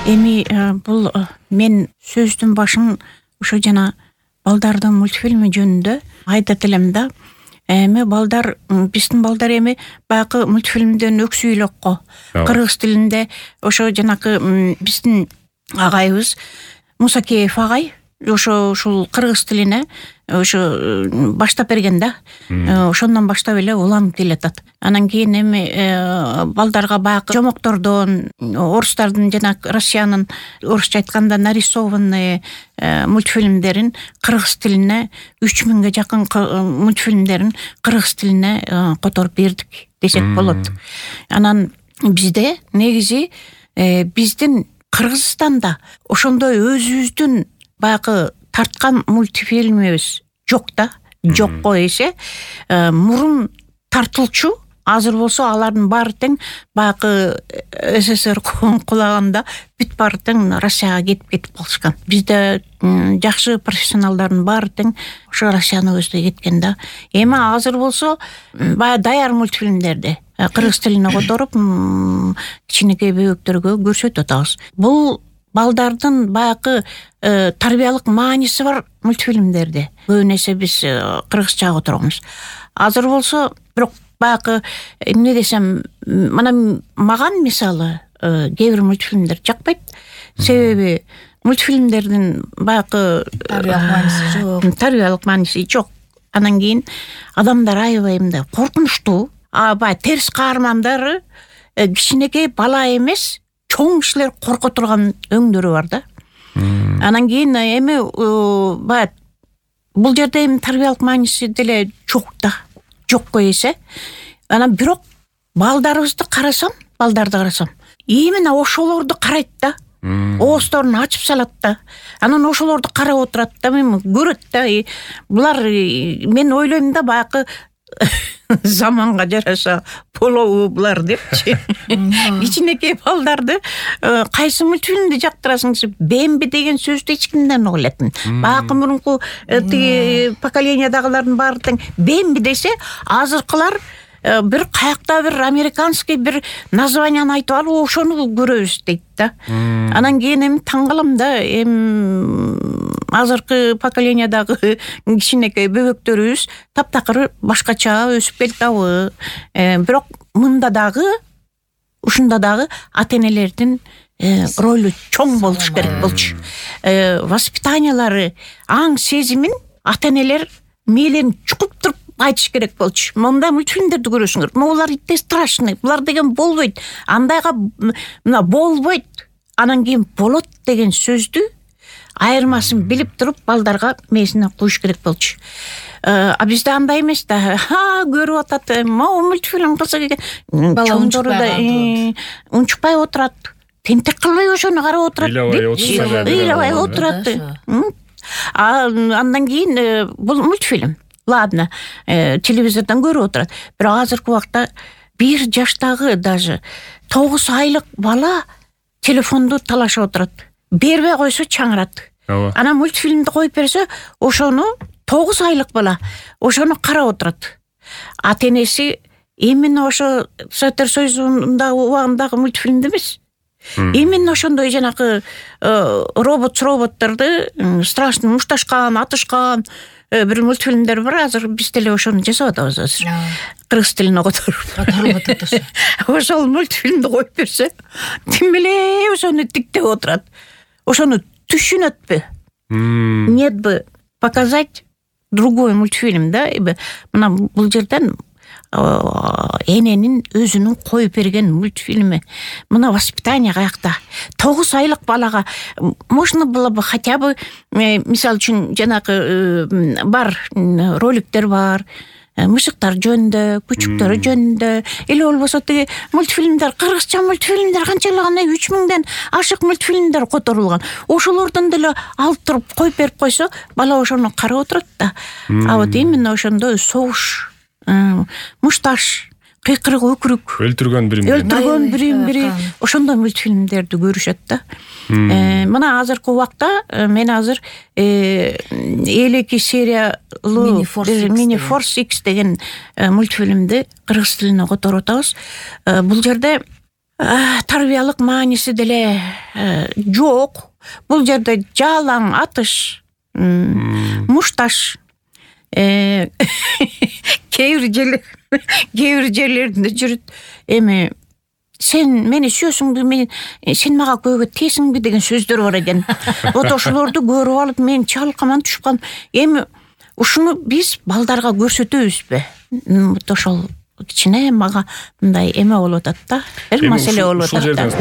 Эми бул мен сөздүн башын ошо жана балдардын мультфильми жөнүндө айтат элем да. Эми балдар, биздин балдар эми баягы мультфильмден өксүй элек го. Кыргыз тилинде ошо жанакы биздин агайыбыз Мусакеев агай ошо ушул кыргыз тилине ошо баштап берген да. Ошондон баштап эле уланып келатат. Анан кийин эми балдарга баягы жомоктордон, орустардын жана Россиянын орусча айтканда нарисованный мультфильмдерин кыргыз тилине 3000ге жакын мультфильмдерин кыргыз тилине которуп бердик десек болот. Анан бизде негизи биздин Кыргызстанда ошондой өзүбүздүн баягы тарткан мультфильмибиз жок да. Жокко эсе мурун тартылчу. Азыр болсо алардын баары тең баягы СССР кулаганда бүт баары тең Россияга кетип калышкан. Бизде жакшы профессионалдардын баары тең ошо Россияны көздөй кеткен да. Эми азыр болсо баягы даяр мультфильмдерди кыргыз тилине которуп кичинекей бөбөктөргө көрсөтүп атабыз. Бул балдардын баягы тарбиялык мааниси бар мультфильмдерди көбүн эсе биз кыргызчага которгонбуз. Азыр болсо бирок баягы эмне десем, мына маган мисалы кээ бир мультфильмдер жакпайт. Себеби мультфильмдердин баягы тарбиялык мааниси жок. Анан кийин адамдар аябай мындай коркунучтуу, баягы терс каармандары кичинекей бала эмес, чоң кишилер корко турган өңдөрү бар да. Анан кийин эми баягы бул жерде эми тарбиялык мааниси деле жок да. Жокко эсе. Анан бирок балдарды карасам, именно ошолорду карайт да. Оозторун ачып салат да. Анан ошолорду карап отурат да, мен көрөт да. Булар мен ойлойм да баягы заманга жараша болобу булар депчи. Кичинекей балдарды кайсы мультфильмди жактырасың десе, Бемби деген сөздү эч кимден угулатын. Баягы мурунку поколениядагылардын баары тең Бемби десе, азыркылар бир каякта бир американский бир названияны айтып алып, ошону көрөбүз дейт да. Анан кийин эми таң калам да, азыркы поколениядагы кичинекей бөбөктөрүбүз таптакыр башкача өсүп келатабы. Бирок мында дагы, ушунда дагы ата-энелердин ролу чоң болуш керек болчу. Воспитаниялары, аң сезимин ата-энелер мээлерин чукуп туруп айтыш керек болчу. Мындай мультфильмдерди көрөсүңөр. Булар итте страшный, булар деген болбойт. Андайга мына болбойт. Анан кийин болот деген сөздү айырмасын билип туруп балдарга мээсине куюш керек болчу. А бизде андай эмес да. Көрүп атат, мультфильм кызык экен. Чоңдору да унчукпай отурат. Тентек кылбай ошону карап отурат. Ыйлабай отурат. Андан кийин бул мультфильм. Ладно, телевизордон көрүп отурат. Бирок азыркы убакта 1 жаштагы даже 9 айлык бала телефонду талашып отурат. Бербей койсо чаңырат. Анан мультфильмди коюп берсе, ошону 9 айлык бала ошону карап отурат. Ата-энеси именно ошо Советтер Союзундагы убагындагы мультфильмди эмес. Именно ошондой жанакы роботторду страшный мушташкан, атышкан бир мультфильмдер бар. Азыр биз деле ошону жасап атабыз азыр. Кыргыз тилине которуп атат. Ошол мультфильмди коюп берсе, тим эле ошону тиктеп отурат. Ошону түшүнөтпү? Нет бы показать другой мультфильм, да? Мына бул жерден эненин өзүнүн коюп берген мультфильми. Мына воспитание каякта. 9 айлык балага можно было бы хотя бы, мисалы үчүн жанагы бар роликтер бар. Мышыктар жөнүндө, күчүктөр жөнүндө, эле болбосо тиги мультфильмдер, кыргызча мультфильмдер канчалык 3000ден ашык мультфильмдер которулган. Ошолордон деле алып туруп коюп берип койсо, бала ошону карап отурат да. А вот именно ошондой согуш, мушташ, кыйкырык, өкүрүк, өлтүргөн бири ошондой мультфильмдерди көрүшөт да. Мына азыркы убакта мен азыр 52 сериялуу Mini Force X деген мультфильмди кыргыз тилине которуп атабыз. Бул жерде тарбиялык мааниси деле жок. Бул жерде жалаң атыш, мушташ, кейбир жерлеринде жүрүт. Эми сен мени сүйөсүңбү, сен мага көбү тесиңби деген сөздөр бар экен. Вот ошолорду көрүп алып мен чалкаман түшүп калдым. Эми ушуну биз балдарга көрсөтөбүзбү? Вот ошол кичине мага мындай эме болуп атат да. Бир маселе болуп атат.